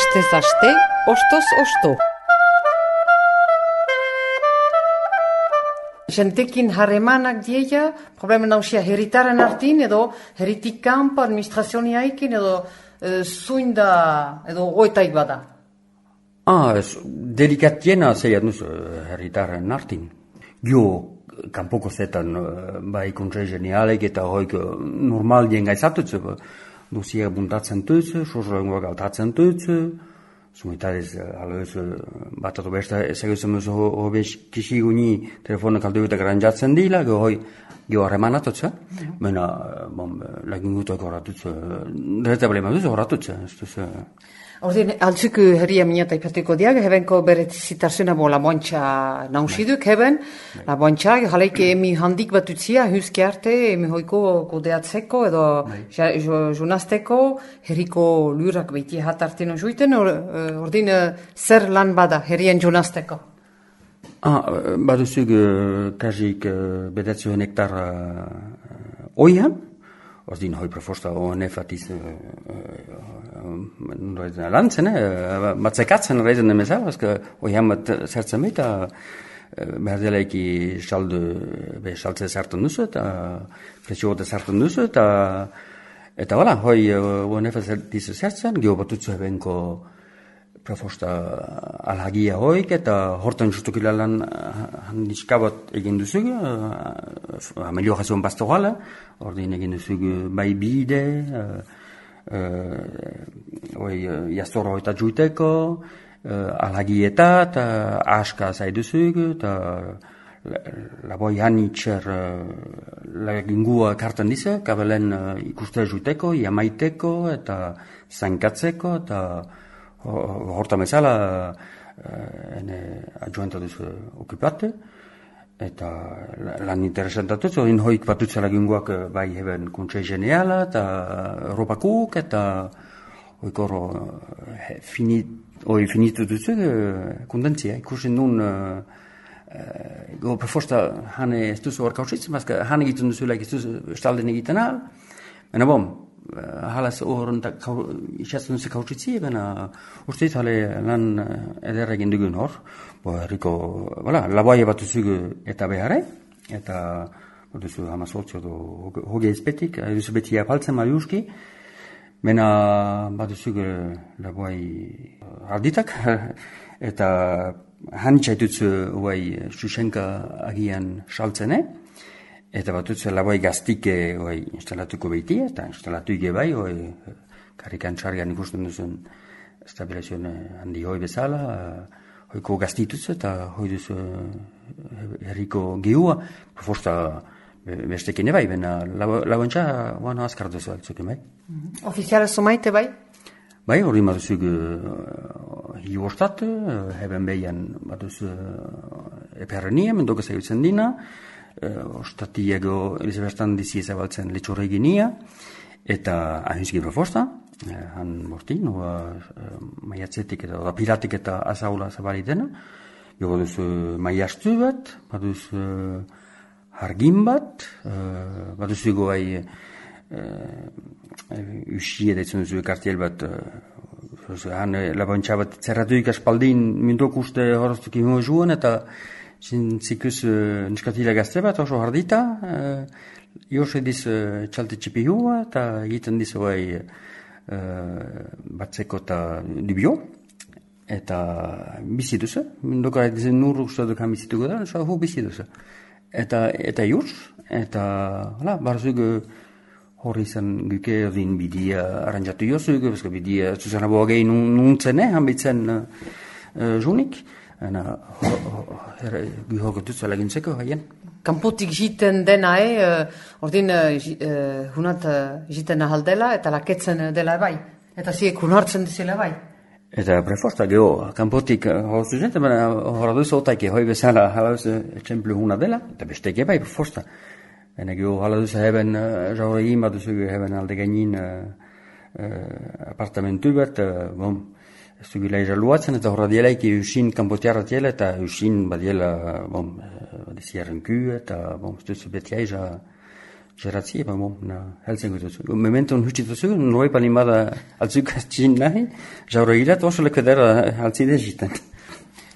Astez aste, ostoz osto. Jentekin harremanak dieia, problema nausia herritaren artin, edo herritik kanpo administrazioniaikin, edo zuinda, edo goetaik bada. Delikatiena zeiat nuz herritaren artin. Gio, kanpoko zetan, bai kontrei genialek eta hoik normal dien gaizatutze, dosia buntatzen tutze, sozrengoak altatzen tutze, zumitariz, aloez, bat ato besta, ezagutzen duz hobez kisiguni telefonak alduetak ranjatzen dila, gio harremanatutze, baina, lagingutak horatutze, dereta blema duz horatutze, ez duz. Ordin, altzuk herria minata ipateko diag, hebenko beretzitarzena bo la bontxa nausiduk, heben, la bontxa, jaleike emi handik bat utzia, huske arte, emi hoiko kodeatzeko, edo jonazteko, herriko lurak behiti hatartino juiten, ordin, zer lan bada herrien jonazteko? Baduzuk kasik bedatzuen hektar oian, ordin hoi preforsta ONF atiz lantzen, batzekatzen reizen emezal, oian bat zertzen behita, behar delaiki saltze zartan duzu, eta presiote zartan duzu, eta wala, hoi ONF atiz zertzen, geho batutzu ebenko preforsta alhagia hoik, eta hortan justukila lan handiskabat egin duzug, ameliorazioan pastorala, ordin egin duzug bai bide, jastora hoita juiteko, alhagieta, eta aska zaiduzug, eta laboi hanitxer lagingua kartan dize, kabelen ikuste juiteko, jamaiteko, eta zankatzeko, eta hortan bezala adjuenta duzu okupate, eta lan interesantatuz, odin hoik batutze laginguak bai heben kontsei geneala, eta Europakuk, eta hoikoro finitu duzu kundentzia, ikusten duen preforsta hane ez duzu hor kautsitzen, bazka hane egiten duzu laik ez duzu estalden egiten ahal, baina bom, halaz horren isatzen duzu kautsitzi, baina ustez hale lan eder egin dugun hor, herriko, laboaia bat duzugu eta beharre, eta duzu hamazortzo hoge ezpetik, duzu beti apaltzen maliuski, baina bat duzugu laboai arditak, eta hanitzaitutzu huai Xuxenka agian saltzene, eta bat duzu laboai gaztike instalatuko behiti, eta instalatuike bai, karikan txargan ikusten duzun stabilazion handi hoi bezala, hoiko gaztituz eta hoi duzu herriko geua, proforsta bestekine bai, baina lauentza guano azkar duzu altzuke bai. Ofiziala somaite bai? Bai, hori maduzuk hiuostat, heben behian baduz eperrenia, mendoka zaiutzen dina, ostatiego Elizabertan dizi ezabaltzen letxorreginia, eta ahizki proforsta, han mortin, maiatzetik eta piratik eta azaula zabalitena, jogo duzu maiastu bat, baduz hargin bat, baduzu goai usi edaitzen duzu kartiel bat, han labontxa bat zerratuik aspaldin mindok uste horreztuk imo zuen, eta zintzikus niskatila gazte bat oso hardita, jose diz txalte txipihua, eta egiten diz goai batzeko eta dubio, eta bizi duzu, mindoka dizen nur uste dukan bizituko da, hu bizi duzu. Eta jurs, eta barzuk horri zen guke odin bidia aranjatu jozuk, bezka bidia zuzena boagei nuntzene, hanbitzen junik, guhoko dutzu lagintzeko haien. Kanpotik jiten dena, ordin hunat jiten ahaldela eta laketzen dela bai. Eta ziek hunartzen dizela bai. Eta preforsta geho, kanpotik hauzu jente, horra duzu otaike hoi bezala halauz etxemplu huna dela, eta besteke bai preforsta. Baina geho halauz heben jaure ima duzu heben alde gainin apartamentu bat, ez du gila irraluatzen, eta horra dielaik usin kanpotiarra diela, eta usin badiela badiziaren ku, eta ez duzu beti aiza Geratzi, heltzen gutuzu. Mementon hutituzu, noroi palimada altzuk txin nahi, jauregirat oso lekedera altzide jiten.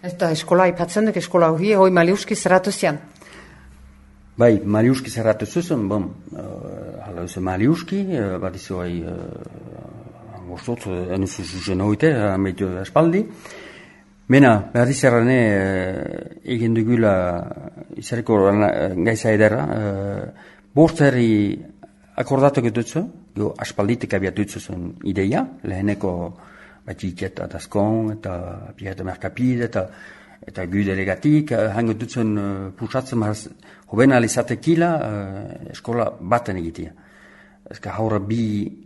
Eta eskola ipatzen duk, eskola hoi Maliuski zerratu zian? Bai, Maliuski zerratu zuzen, hala eusen Maliuski, bat izu bai, gostot, enuzu zuzen hoite, ameitu espaldi. Mena, behar izerrane, egin dugula, izareko gaiza edera, bortzeri akordatu getutzu, aspalditik abiatutzu zen ideia, leheneko batxiket atazkon, eta pieta merkapide, eta gudelegatik, hango dutzen pusatzen hoben alizatekila eskola baten egitea. Ezka haura bi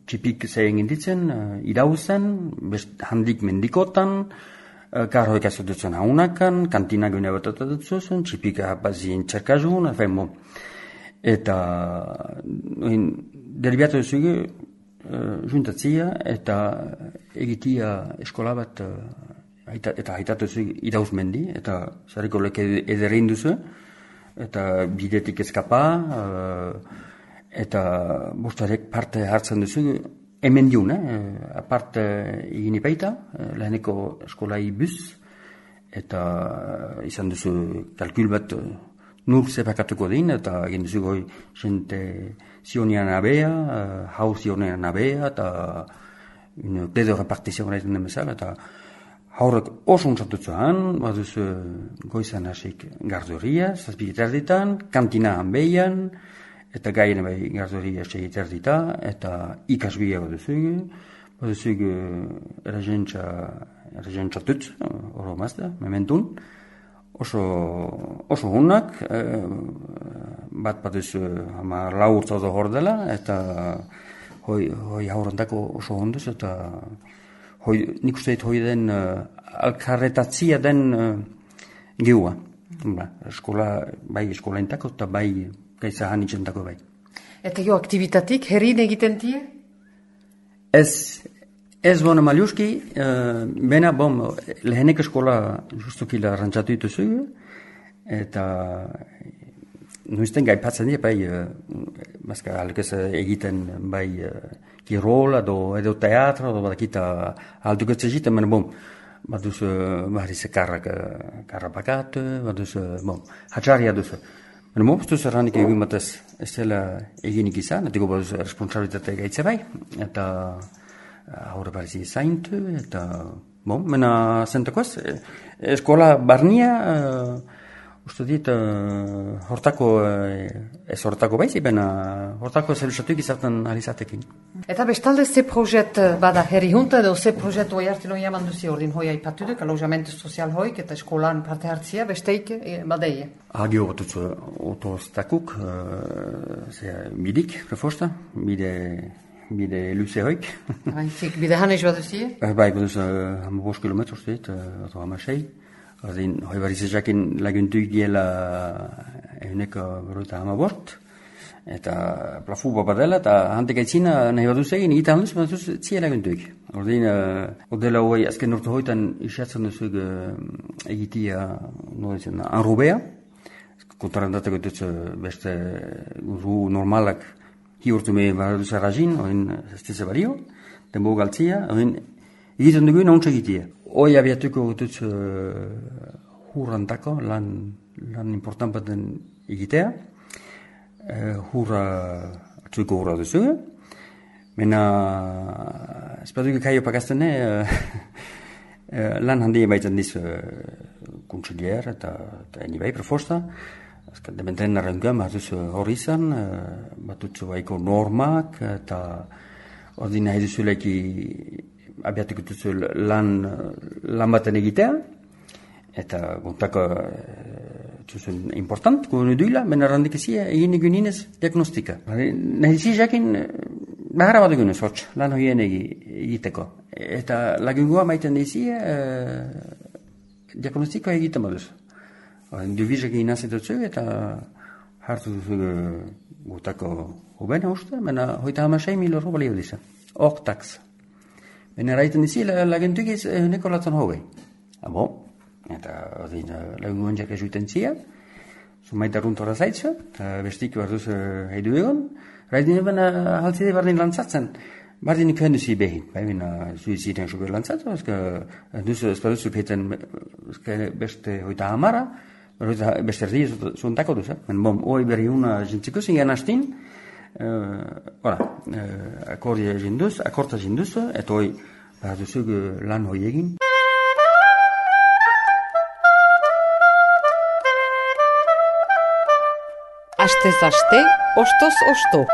txipik zein ginditzen, irauzen, handik mendikotan, karhoik azututzen haunakan, kantina gune bat atutzen, txipik bazien txerkazun, eta deribiatu duzugu, juntatzia, eta egitia eskola bat, eta haitatu duzugu irauz mendi, eta zareko leke ederrein duzu, eta bidetik eskapa, eta bostarek parte hartzen duzu, hemen diun, aparte egin ipaita, leheneko eskolai bus, eta izan duzu kalkul bat nur zepakatuko din, eta egin duzu goi jente zionian abea, hau zionian abea, eta dedo repartizioan egiten den bezala, eta haurek oso ontzatutzuan, bat duzu goizan hasik gardoria, zazpiketar ditan, kantina hanbeian, eta gaien bai gardoria segiter dita, eta ikasbia bat duzugu eragentza tutz, oro mazda, mementun, oso hunak, bat duzu lau urtzaudo hor dela, eta hoi haurantako oso honduz, eta nik uste hoi den alkarretatzia den geua. Bai eskolaintako eta bai gaitza hanitzentako bai. Eta aktibitatik, herrin egiten die? Ez bona Maliuski, bena, lehenek eskola justukila rantzatu dituzu, eta nuizten gaipatzen die, bai, mazka halkez egiten, bai, kirol, edo teatro, edo badakita alduketze egiten, bena, bat duzu, baharize karra pakatu, bat duzu, hatxarria duzu. Mopuztu zerranik egin batez ez dela eginik izan, eta gobaz responsabilitate gaitze bai, eta haure barizi zaintu, eta mena zentekoaz, eskola barnia, uste dit, hortako, ez hortako baizi, bena hortako zelusatuik izaten alizatekin. Eta bestalde ze projet bada herri junta, edo ze projet hoi hartino jaman duzi ordin hoi aipatudek, alojamentu sozial hoik, eta eskolan parte hartzia, besteik badeie? Agio batutzu otostakuk, bidik, prefosta, bide luze hoik. Bide hanez bat duzie? Bai, bat duzu 5 kilometro, uste dit, ato hamasei. Hoi barizezakin laguntuik diela eguneko berroita hamabort, eta plafu bat dela, eta hantek aitzina nahi bat duzegin, egiten handuz, bat duz zia laguntuik. Ordela hoi azken urte hoitan isatzen duzuk egitia anrubea, kontarantateko duz beste guru normalak hi urtu me bat duz arrazin, oin zestize bario, denbo galtzia, oin egiten dugu nauntza egitia. Hoi abiatuko gutuz hurrantako, lan important baten egitea. Atzuiko hurra duzu. Mena, espaduko kaio pakaztene, lan handia baitzen diz kontsilier eta eni bai prefosta. Dementen narrenguan bat duzu hori izan, bat duzu baiko normak, eta ordin nahi duzu leki abiatuko duzu lan baten egitea, eta gontako zuzun important, guen duila, bena randik ezia, egin egun inez diagnostika. Nahi zi jakin, bahara bat egun ez hotx, lan hoien egiteko. Eta lagungoa maiten dizia, diagnostikoa egiten baduz. Dubizak egin azetotzu, eta hartu duzu gutako hobena uste, bena hoita 6.000 euro balio dizan. Hok tax. Bena raiten dizi, lagentuik ez nekolatzen hogei. Eta lagungoan jak ezuiten zia, Zumaita runtora zaitzu, eta bestik behar duzu heidu egon. Raidin eben haltzide bardin lantzatzen. Bardin ikuhen duzi behin. Baina zuiziren suber lantzatu, duzu espaduzu peten beste hoita hamara, beste erdi zuntako duzu. Bom, hoi berri una jintziko zingen hastin, akorta jinduzu, eta hoi behar duzu lan hoi egin. Astez aste, ostoz osto.